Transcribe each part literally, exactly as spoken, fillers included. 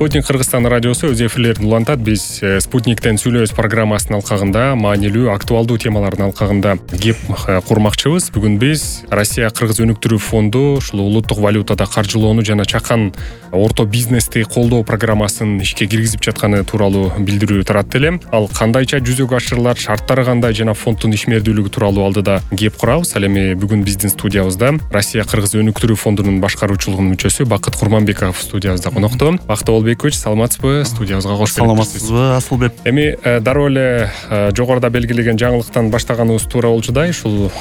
Спутник Кыргызстан радиосу өз эфирлерин улантат. Биз Спутниктен сүйлөбүз программасынын алкагында маанилүү, актуалдуу темалардын алкагында кеп курмакчыбыз. Бүгүн биз Россия Кыргыз өнүктүрүү фонду ушул улуттук валютада каржылоону жана чакан орто бизнести колдоо программасын ишке киргизип жатканы тууралуу билдирүү тарат элем. Ал кандайча жүзөгө ашырылат, шарттары кандай жана фонддун ишмердүүлүгү тууралуу алдыда кеп курабыз. Ал эми бүгүн биздин студиябызда Россия Кыргыз өнүктүрүү фондунун башкаруучулугунун мүчөсү Бакыт Курманбеков студиябызда конокто. Бакыт Олбекович, саламатсызбы? Студиябызга кош келипсиз. Саламатсызбы, Асылбек? Эми дароо эле жогоруда белгилеген жаңылыктан баштаганыбыз туура болчудай, ушул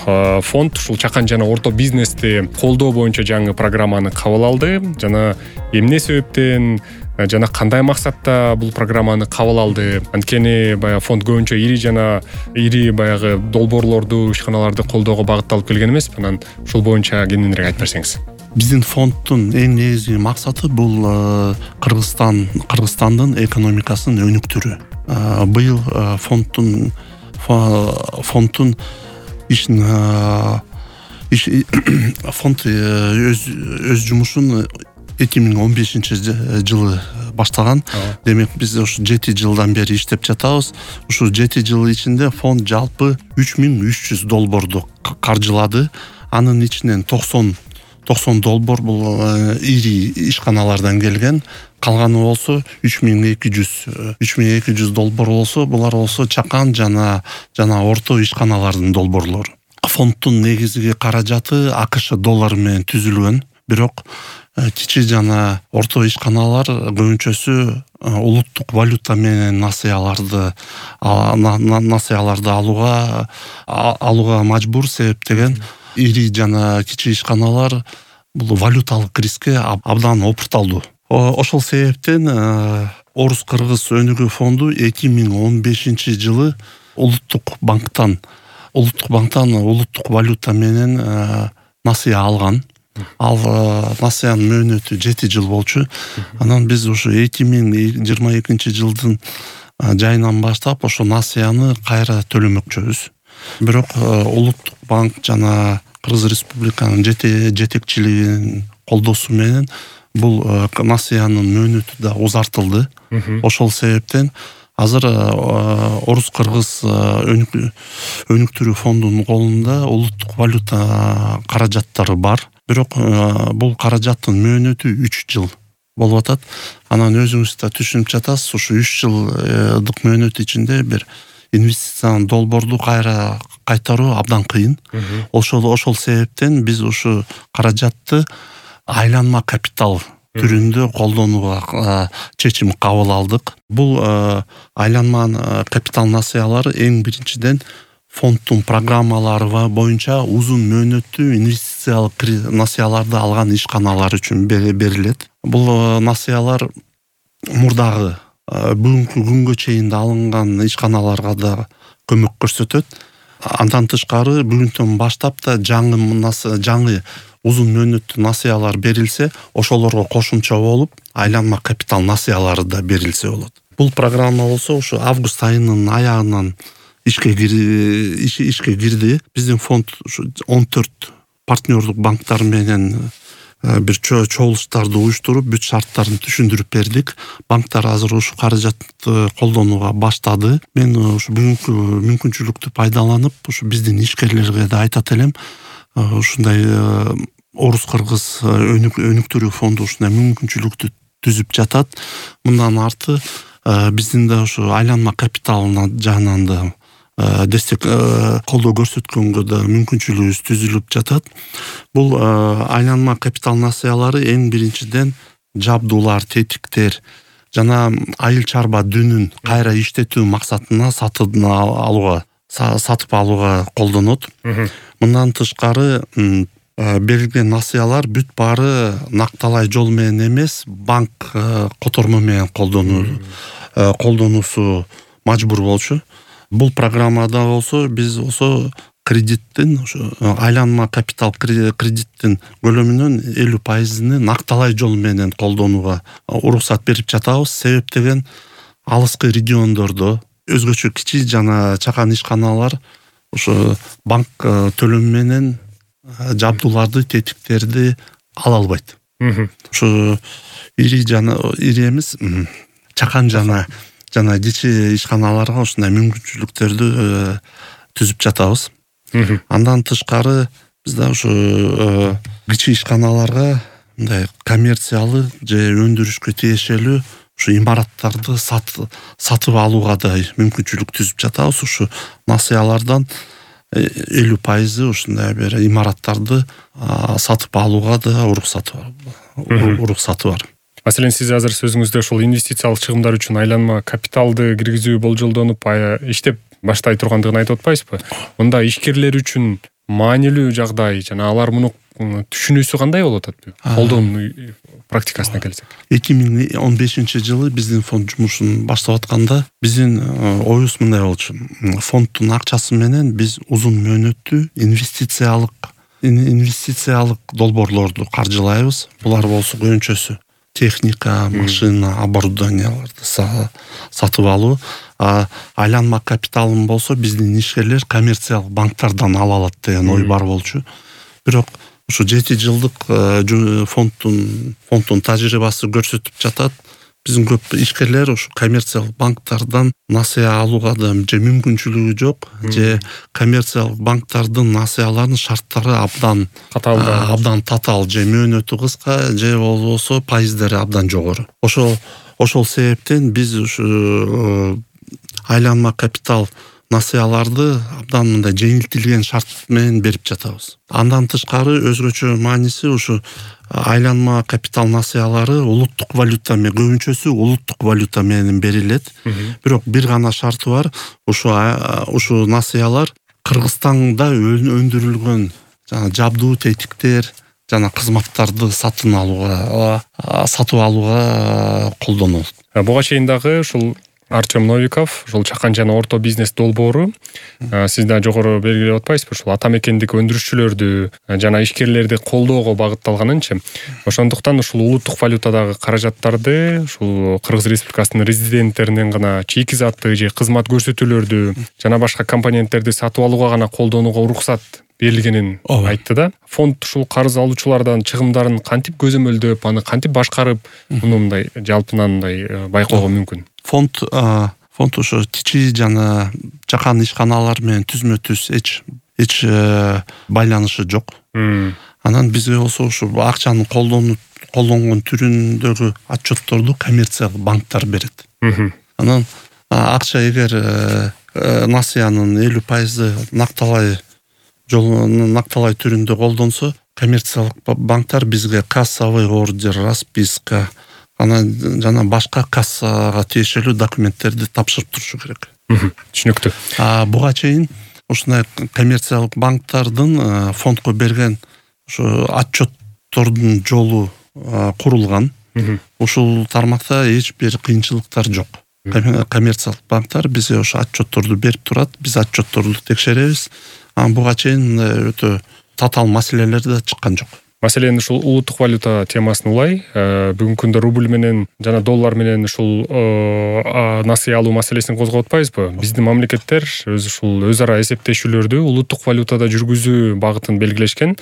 фонд ушул чакан жана орто бизнести колдоо боюнча жаңы программаны кабыл алды жана эмне себептен жана кандай максатта бул программаны кабыл алды? Анткени баягы фонд көбүнчө ири жана ири баягы долбоорлорду, ишканаларды колдоого багытталып келген эмес. Анан ушул боюнча кененирээк айтып берсеңиз. Биздин фонддун эң негизги максаты бул Кыргызстан Кыргызстандын экономикасын өнүктүрүү. Быйыл фонддун фонддун ишин фонд өз өз жумушун эки миң он бешинчи жылы баштаган. Демек биз ушу жети жылдан бери иштеп жатабыз. Ушул жети жыл ичинде фонд жалпы үч миң үч жүз долбоорду каржылады. Анын ичинен токсон долбоор бул ири ишканалардан келген. Калганы болсо үч миң эки жүз долбоор болсо, булар болсо чакан жана жана орто ишканалардын долбоорлору. Фонддун негизги каражаты АКШ доллары менен түзүлгөн. Бирок кичи жана орто ишканалар көбүнчөсү улуттук валюта менен насыяларды насыяларды алууга алууга мажбур, себептеген ири жана кичи ишканалар бул валюталык рискке абдан опурталдуу. Ошол себептен Орус-Кыргыз өнүгүү фонду эки миң он бешинчи жылы улуттук банктан улуттук банктан улуттук валюта менен насыя алган. Ал насыянын мөөнөтү жети жыл болчу. Анан биз ушу эки миң жыйырма экинчи жылдын жайынан баштап ошо насыяны кайра төлөмөкчүбүз. Бирок улуттук банк жана Кыргыз Республиканын жетекчилигинин колдоосу менен бул насыянын мөөнөтү да узартылды. Ошол себептен азыр Орус-Кыргыз өнүктүрүү фондунун колунда улуттук валюта каражаттары бар. Бирок бул каражаттын мөөнөтү үч жыл болуп атат. Анан өзүңүз да түшүнүп жатасыз, ушу үч жылдык мөөнөт ичинде бир инвестициянын долбоорду кайра кайтаруу абдан кыйын. Ошол ошол себептен биз ушу каражатты айланма капитал түрүндө колдонууга чечим кабыл алдык. Бул айланма капитал насыялары эң биринчиден фонддун программалары боюнча узун мөөнөттүү инвестициялык насыяларды алган ишканалар үчүн берилет. Бул насыялар мурдагы бүгүнкү күнгө чейин алынган ишканаларга да көмөк көрсөтөт. Андан тышкары бүгүнтөн баштап да жаңы жаңы узун мөөнөттүү насыялар берилсе, ошолорго кошумча болуп айланма капитал насыялары да берилсе болот. Бул программа болсо ушу август айынын аягынан ишке ишке кирди. Биздин фонд он төрт партнердук банктар менен бир чогулуштарды уюштуруп, бүт шарттарын түшүндүрүп бердик. Банктар азыр ушу каражатты колдонууга баштады. Мен ушу бүгүнкү мүмкүнчүлүктү пайдаланып, ушу биздин ишкерлерге да айтат элем. Ушундай Орус-Кыргыз өнүктүрүү фонду ушундай мүмкүнчүлүктү түзүп жатат. Мындан арты биздин да ушу айланма капиталына жагынан да дестек колдоо көрсөткөнгө да мүмкүнчүлүгүбүз түзүлүп жатат. Бул айланма капитал насыялары эң биринчиден жабдуулар, тетиктер жана айыл чарба дүнүн кайра иштетүү максатына сатып алууга сатып алууга колдонот. Мындан тышкары берилген насыялар бүт баары накталай жол менен эмес, банк котормо менен колдонуу колдонуусу мажбур болчу. Бул программада болсо биз болсо кредиттин ошо айланма капитал кредиттин көлөмүнүн элүү пайызын накталай жол менен колдонууга уруксат берип жатабыз. Себептеген алыскы региондордо өзгөчө кичи жана чакан ишканалар ошо банк төлөмү менен жабдууларды, тетиктерди ала албайт. Ушу ири жана ири эмес, чакан жана жана кичи ишканаларга ушундай мүмкүнчүлүктөрдү түзүп жатабыз. Андан тышкары бизде ушу кичи ишканаларга мындай коммерциялык же өндүрүшкө тиешелүү ушу имараттарды сатып алууга да мүмкүнчүлүк түзүп жатабыз. Ушу насыялардан элүү пайызы ушундай бир имараттарды сатып алууга да уруксаты бар. уруксаты бар. Маселен, сиз азыр сөзүңүздө ушул инвестициялык чыгымдар үчүн айланма капиталды киргизүү болжолдонуп иштеп баштай тургандыгын айтып атпайсызбы? Мында ишкерлер үчүн маанилүү жагдай жана алар муну түшүнүүсү кандай болуп атат? Колдонуу практикасына келсек. эки миң он бешинчи жылы биздин фонд жумушун баштап атканда биздин оюбуз мындай болчу. Фонддун акчасы менен биз узун мөөнөттүү инвестициялык инвестициялык долбоорлорду каржылайбыз. Булар болсо көбүнчөсү техника, машина, оборудованияларды сатып алуу. Айланма капиталын болсо биздин ишкерлер коммерциялык банктардан ала алат деген ой бар болчу. Бирок ушу жети жылдык фонддун фонддун тажрыйбасы көрсөтүп жатат. Биздин көп ишкерлер ушу коммерциялык банктардан насыя алууга да же мүмкүнчүлүгү жок, же коммерциялык банктардын насыяларынын шарттары абдан татаал, абдан татаал, же мөөнөтү кыска, же болбосо пайыздары абдан жогору. Ошол ошол себептен биз ушу айланма капитал насыяларды абдан мындай жеңилтилген шарт менен берип жатабыз. Андан тышкары өзгөчө мааниси ушу айланма капитал насыялары улуттук валюта менен, көбүнчөсү улуттук валюта менен берилет. Бирок бир гана шарты бар. Ушу ушу насыялар Кыргызстанда өндүрүлгөн жана жабдуу тетиктер жана кызматтарды сатып алууга сатып алууга колдонулат. Буга чейин дагы ушул Артем Новиков, ушул чакан жана орто бизнес долбоору, сиз да жогору белгилеп атпайсызбы, ушул ата мекендик өндүрүшчүлөрдү жана ишкерлерди колдоого багытталганынчы. Ошондуктан ушул улуттук валютадагы каражаттарды ушул Кыргыз Республикасынын резиденттеринен гана чийки заттык же кызмат көрсөтүүлөрдү жана башка компоненттерди сатып алууга гана колдонууга уруксат берилгенин айтты да. Фонд ушул карыз алуучулардан чыгымдарын кантип көзөмөлдөп, аны кантип башкарып, муну мындай жалпынан мындай байкоого мүмкүн? Фонд фонд ошо кичи жана чакан ишканалар менен түзмө-түз эч эч байланышы жок. Анан бизге болсо ушу акчаны колдонуп колдонгон түрүндөгү отчетторду коммерциялык банктар берет. Анан акча эгер насыянын элүү пайызы накталай жол накталай түрүндө колдонсо, коммерциялык банктар бизге кассовый ордер, расписка анан жана башка кассага тиешелүү документтерди тапшырып турушу керек. Түшүнүктүү. А буга чейин ушундай коммерциялык банктардын фондко берген ушу отчеттордун жолу курулган. Ушул тармакта эч бир кыйынчылыктар жок. Коммерциялык банктар бизге ошо отчетторду берип турат, биз отчетторду текшеребиз. Анан буга чейин өтө татаал маселелер да чыккан жок. Маселен, ушул улуттук валюта темасын улай, бүгүнкү күндө рубль менен жана доллар менен ушул насыя алуу маселесин козгоп атпайбызбы? Биздин мамлекеттер өз ушул өз ара эсептешүүлөрдү улуттук валютада жүргүзүү багытын белгилешкен.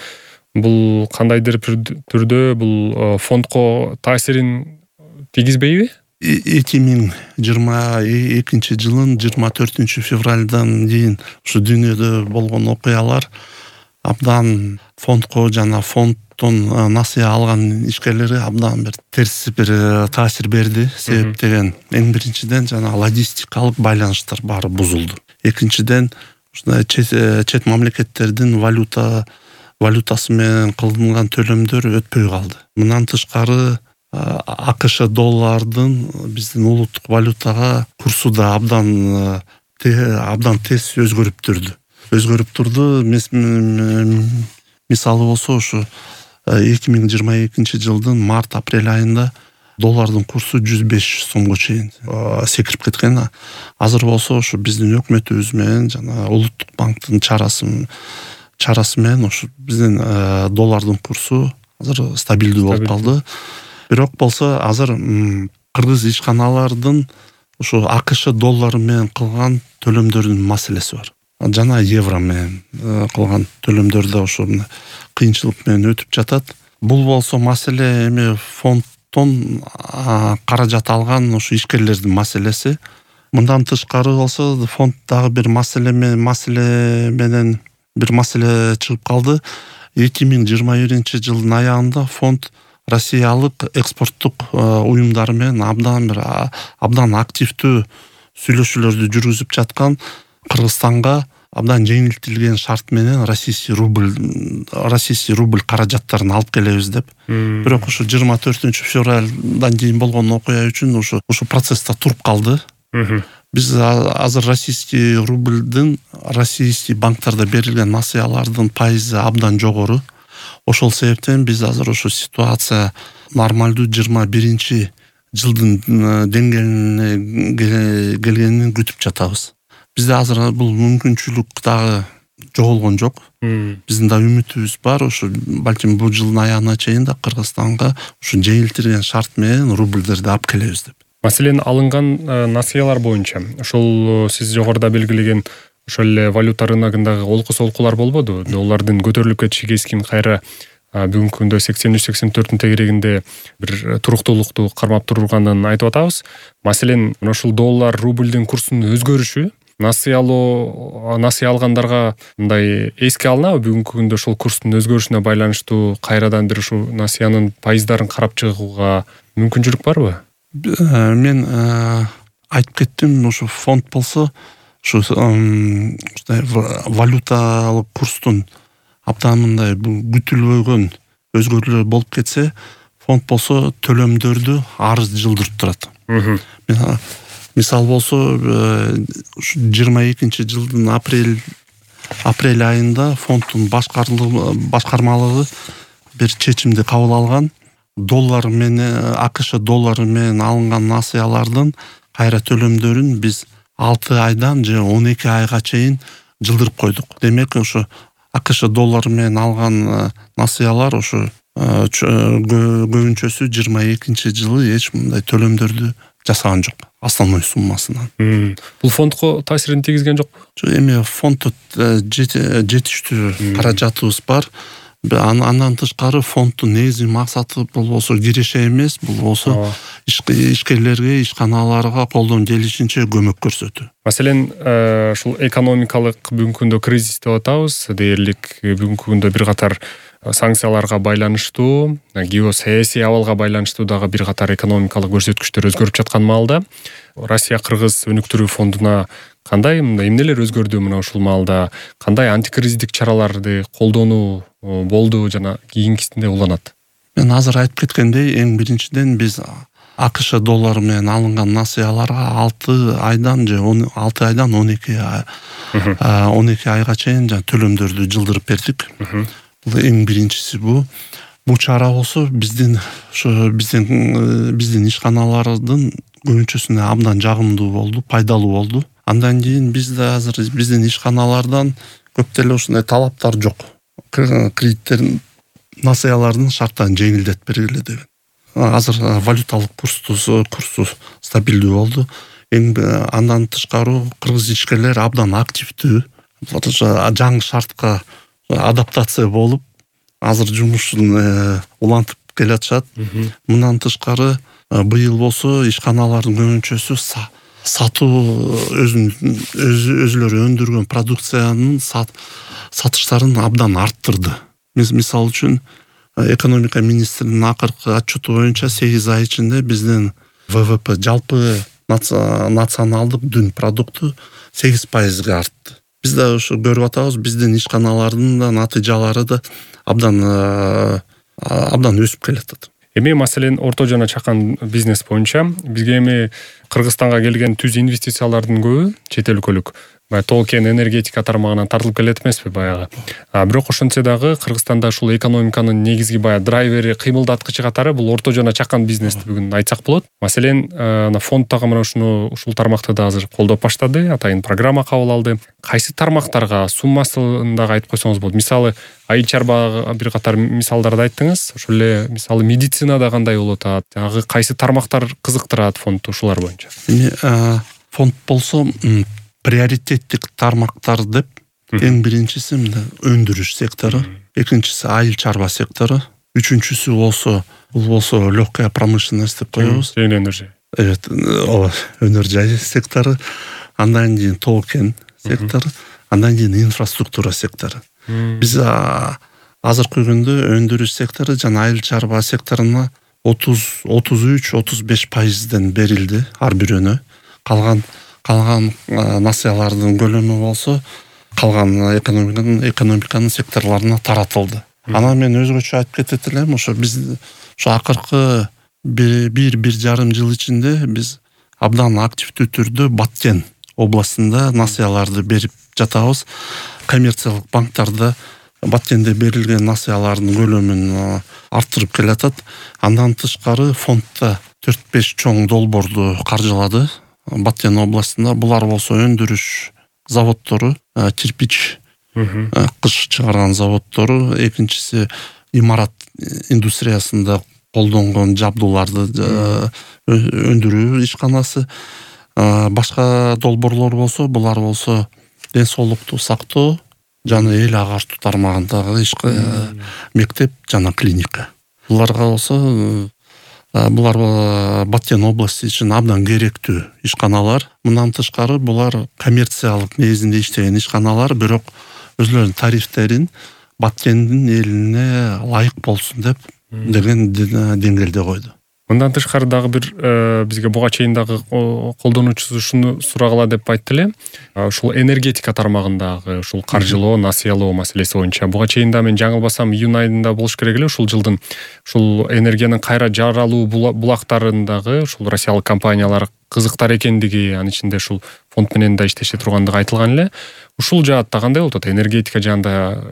Бул кандайдыр түрдө бул фондко таасирин тийгизбейби? эки миң жыйырма экинчи жылдын жыйырма төртүнчү февралдан кийин ушу дүйнөдө болгон окуялар абдан фондко жана фонддон насыя алган ишкерлери абдан бир терс бир таасир берди. Себеп деген эң биринчиден жана логистикалык байланыштар баары бузулду. Экинчиден ушундай чет мамлекеттердин валюта валютасы менен кылынган төлөмдөр өтпөй калды. Мындан тышкары АКШ доллардын биздин улуттук валютага курсу да абдан абдан тез өзгөрүп турду. Өзгөрүп турду. Мисалы болсо ушу эки миң жыйырма экинчи жылдын март-апрель айында доллардын курсу жүз беш сомго чейин секирип кеткен. Азыр болсо ушу биздин өкмөтүбүз менен жана улуттук банктын чарасы чарасы менен ушу биздин доллардын курсу азыр стабилдүү болуп калды. Бирок болсо азыр кыргыз ишканалардын ушу АКШ доллары менен кылган төлөмдөрдүн маселеси бар. Жана евро менен кылган төлөмдөр да ошо кыйынчылык менен өтүп жатат. Бул болсо маселе эми фонд фонддон каражат алган ушу ишкерлердин маселеси. Мындан тышкары болсо фонд дагы бир маселе маселе менен бир маселе чыгып калды. эки миң жыйырма биринчи жылдын аягында фонд россиялык экспорттук уюмдар менен абдан бир абдан активдүү сүйлөшүүлөрдү жүргүзүп жаткан, Кыргызстанга абдан жеңилтилген шарт менен российский рубль российский рубль каражаттарын алып келебиз деп. Бирок ушу жыйырма төртүнчү февралдан кийин болгон окуя үчүн ушу ушу процесста туруп калды. Биз азыр российский рубльдин российский банктарда берилген насыялардын пайызы абдан жогору. Ошол себептен биз азыр ушу ситуация нормалдуу жыйырма биринчи жылдын деңгээлине келгенин күтүп жатабыз. Бизде азыр бул мүмкүнчүлүк дагы жоголгон жок. Биздин да үмүтүбүз бар. Ушу балким бул жылдын аягына чейин да Кыргызстанга ушу жеңилтирген шарт менен рубльдерди алып келебиз деп. Маселен, алынган насыялар боюнча ошол сиз жогоруда белгилеген ошол эле валюта рыногундагы олку солкулар болбоду? Доллардын көтөрүлүп кетиши кескин кайра бүгүнкү күндө сексен үч сексен төрттүн тегерегинде бир туруктуулукту кармап турганын айтып атабыз. Маселен, ошол доллар рубльдин курсунун өзгөрүшү насыялоо насыя алгандарга мындай эске алынабы? Бүгүнкү күндө ошол курстун өзгөрүшүнө байланыштуу кайрадан бир ушу насыянын пайыздарын карап чыгууга мүмкүнчүлүк барбы? Мен айтып кеттим, ушу фонд болсо ушу валюталык курстун абдан мындай күтүлбөгөн өзгөрүүлөр болуп кетсе, фонд болсо төлөмдөрдү арыз жылдырып турат. Мисал болсо ушу жыйырма экинчи жылдын апрель апрель айында фонддун башкармалыгы бир чечимди кабыл алган. Доллар менен АКШ доллары менен алынган насыялардын кайра төлөмдөрүн биз алты айдан же он эки айга чейин жылдырып койдук. Демек, ошо АКШ доллары менен алган насыялар ошо көбүнчөсү жыйырма экинчи жылы эч мындай төлөмдөрдү жасаган жок основной суммасынан. Бул фондко таасирин тийгизген жокпу? Эми фонддо жетиштүү каражатыбыз бар. Андан тышкары фонддун негизги максаты бул болсо киреше эмес, бул болсо ишкерлерге, ишканаларга колдон келишинче көмөк көрсөтүү. Маселен, ушул экономикалык бүгүнкү күндө кризис деп атабыз, дээрлик бүгүнкү күндө бир катар санкцияларга байланыштуу, геосаясий абалга байланыштуу дагы бир катар экономикалык көрсөткүчтөр өзгөрүп жаткан маалда Россия Кыргыз өнүктүрүү фондуна кандай эмнелер өзгөрдү мына ушул маалда? Кандай антикризистик чараларды колдонуу болду жана кийинкисинде уланат? Мен азыр айтып кеткендей, эң биринчиден биз АКШ доллары менен алынган насыяларга алты айдан же алты айдан он эки он эки айга чейин төлөмдөрдү жылдырып бердик. Бул эң биринчиси бу. Бул чара болсо биздин ошо биздин биздин ишканалардын көбүнчөсүнө абдан жагымдуу болду, пайдалуу болду. Андан кийин бизде азыр биздин ишканалардан көп деле ушундай талаптар жок. Кредиттердин насыялардын шарттарын жеңилдетип бергиле деген. Азыр валюталык курсу курсу стабилдүү болду. Эң андан тышкары кыргыз ишкерлер абдан активдүү. Жаңы шартка адаптация болуп, азыр жумушун улантып келатышат. Мындан тышкары быйыл болсо ишканалардын көбүнчөсү сатуу өзүнүн өзүлөрү өндүргөн продукциянын сатыштарын абдан арттырды. Мисал үчүн экономика министринин акыркы отчету боюнча сегиз ай ичинде биздин ВВП жалпы националдык дүн продукту сегиз пайызга артты. Биз да ушу көрүп атабыз, биздин ишканалардын да натыйжалары да абдан абдан өсүп келатат. Эми маселен орто жана чакан бизнес боюнча бизге эми Кыргызстанга келген түз инвестициялардын көбү чет өлкөлүк. Толкен энергетика тармагынан тартылып келет эмеспи баягы. А бирок ошентсе дагы Кыргызстанда ушул экономиканын негизги баягы драйвери, кыймылдаткычы катары бул орто жана чакан бизнести бүгүн айтсак болот. Маселен, фонд дагы мына ушуну ушул тармакты да азыр колдоп баштады, атайын программа кабыл алды. Кайсы тармактарга суммасын дагы айтып койсоңуз болот. Мисалы, айыл чарбага бир катар мисалдарды айттыңыз. Ошол эле мисалы медицинада кандай болуп атат? Жагы кайсы тармактар кызыктырат фондду ушулар боюнча? Эми фонд болсо приоритеттик тармактар деп эң биринчиси өндүрүш сектору, экинчиси айыл чарба сектору, үчүнчүсү болсо бул болсо легкая промышленность деп коебуз. Жеңил өнөр жай. Evet, ооба, өнөр жай сектору, андан кийин тоо-кен сектору, андан кийин инфраструктура сектору. Биз азыркы күндө өндүрүш сектору жана айыл чарба секторуна отуз отуз үч отуз беш пайызден берилди ар бирөөнө. Калган калган насыялардын көлөмү болсо калган экономиканын экономиканын секторлоруна таратылды. Анан мен өзгөчө айтып кетет элем, ошо биз ошо акыркы бир бир жарым жыл ичинде биз абдан активдүү түрдө Баткен областында насыяларды берип жатабыз. Коммерциялык банктарда Баткенде берилген насыялардын көлөмүн арттырып келатат. Андан тышкары фондда төрт беш чоң долбоорду каржылады Баткен областында. Булар болсо өндүрүш заводдору, кирпич, кыш чыгарган заводдору, экинчиси имарат индустриясында колдонгон жабдууларды өндүрүү ишканасы. Башка долбоорлор болсо, булар болсо ден соолукту сактоо жана эл агартуу тармагындагы мектеп жана клиника. Буларга болсо булар Баткен области үчүн абдан керектүү ишканалар. Мындан тышкары булар коммерциялык негизинде иштеген ишканалар, бирок өзлөрүнүн тарифтерин Баткендин элине ылайык болсун деп деген деңгээлде койду. Мындан тышкары дагы бир бизге буга чейин дагы колдонуучусу ушуну сурагыла деп айтты эле. Ушул энергетика тармагындагы ушул каржылоо, насыялоо маселеси боюнча буга чейин да мен жаңылбасам июнь айында болуш керек эле ушул жылдын ушул энергиянын кайра жаралуу булактарындагы ушул россиялык компаниялар кызыктар экендиги, анын ичинде ушул фонд менен да иштеше тургандыгы айтылган эле. Ушул жаатта кандай болуп атат? Энергетика жаанда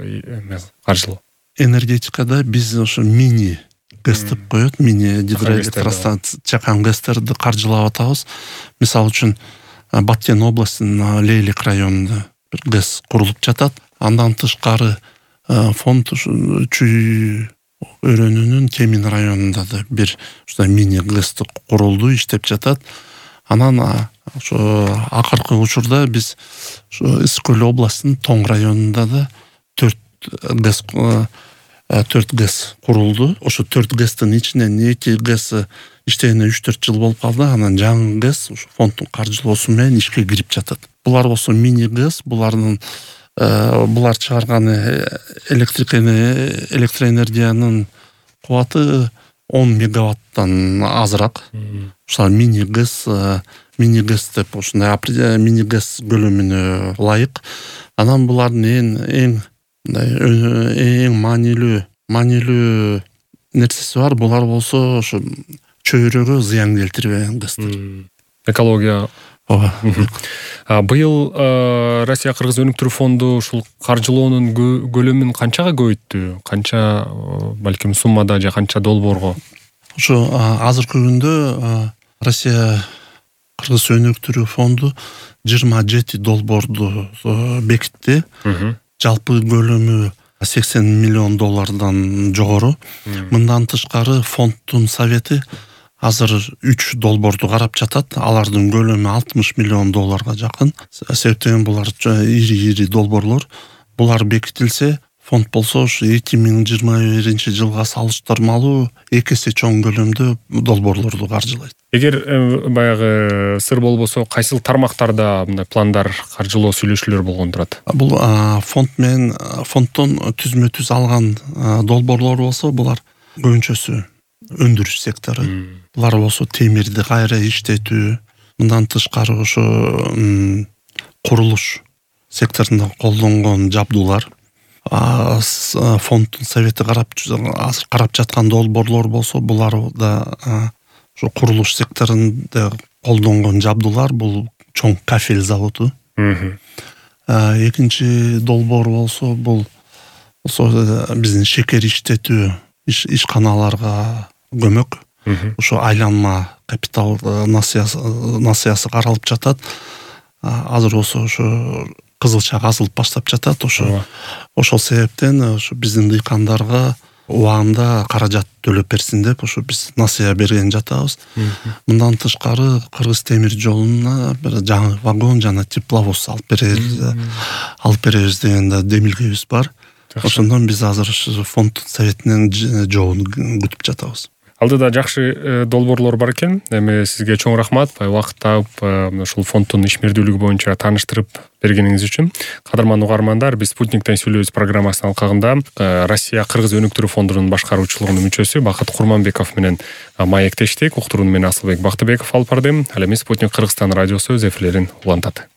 каржылоо. Энергетикада биз ошо мини ГЭС деп коет, мини гидроэлектростанция, чакан ГЭСтерди каржылап атабыз. Мисалы үчүн Баткен областынын Лейлик районунда бир ГЭС курулуп жатат. Андан тышкары фонд Чүй өрөөнүнүн Кемин районунда да бир ушундай мини ГЭС курулду, иштеп жатат. Анан ошо акыркы учурда биз ошо Ысык көл областынын Тоң районунда да төрт ГЭС төрт ГЭС курулду. Ошо төрт ГЭСтин ичинен эки ГЭС иштегенине үч төрт жыл болуп калды. Анан жаңы ГЭС ушу фонддун каржылоосу менен ишке кирип жатат. Булар болсо мини ГЭС, булардын булар чыгарган электроэнергиянын кубаты он мегаваттан азыраак. Ушул мини ГЭС, мини ГЭС деп ушундай мини ГЭС көлөмүнө ылайык. Анан булардын эң эң эң маанилүү маанилүү нерсеси бар. Булар болсо ошо чөйрөгө зыян келтирбеген ГЭСтер. Экология. Ооба. Быйыл Россия Кыргыз өнүктүрүү фонду ушул каржылоонун көлөмүн канчага көбөйттү? Канча балким суммада же канча долбоорго? Ошо азыркы күндө Россия Кыргыз өнүктүрүү фонду жыйырма жети долбоорду бекитти. Жалпы көлөмү сексен миллион доллардан жогору. Мындан тышкары фонддун совети азыр үч долбоорду карап жатат. Алардын көлөмү алтымыш миллион долларга жакын. Себептен булар ири-ири долбоорлор. Булар бекитилсе, фонд болсо ушу эки миң жыйырма биринчи жылга салыштырмалуу эки эсе чоң көлөмдө долбоорлорду каржылайт. Эгер баягы сыр болбосо, кайсыл тармактарда мындай пландар, каржылоо сүйлөшүүлөр болгон турат? Бул фонд менен фонддон түзмө түз алган долбоорлор болсо, булар көбүнчөсү өндүрүш сектору. Булар болсо темирди кайра иштетүү, мындан тышкары ошо курулуш секторунда колдонгон жабдуулар. Фонддун совети карап карап жаткан долбоорлор болсо, булар да ошо курулуш секторунда колдонгон жабдуулар, бул чоң кафель заводу. Экинчи долбоор болсо, бул болсо биздин шекер иштетүү ишканаларга көмөк. Ошо айланма капитал насыясы каралып жатат. Азыр болсо ошо кызылча казылып баштап жатат. Ошо ошол себептен ошо биздин дыйкандарга убагында каражат төлөп берсин деп ошо биз насыя берген жатабыз. Мындан тышкары Кыргыз темир жолуна бир жаңы вагон жана тепловоз алып беребиз алып беребиз деген да демилгебиз бар. ошондон биз азыр ушу фонд советинин жообун күтүп жатабыз. Алдыда жакшы долбоорлор бар экен. Эми сизге чоң рахмат. Убакыт таап ушул фонддун ишмердүүлүгү боюнча тааныштырып бергениңиз үчүн. Кадырман угармандар, биз Спутниктен сүйлөбүз программасынын алкагында Россия Кыргыз өнүктүрүү фондунун башкаруучулугунун мүчөсү Бакыт Курманбеков менен маектештик. Уктурууну мен Асылбек Бактыбеков алып бардым. Ал эми Спутник Кыргызстан радиосу өз эфирлерин улантат.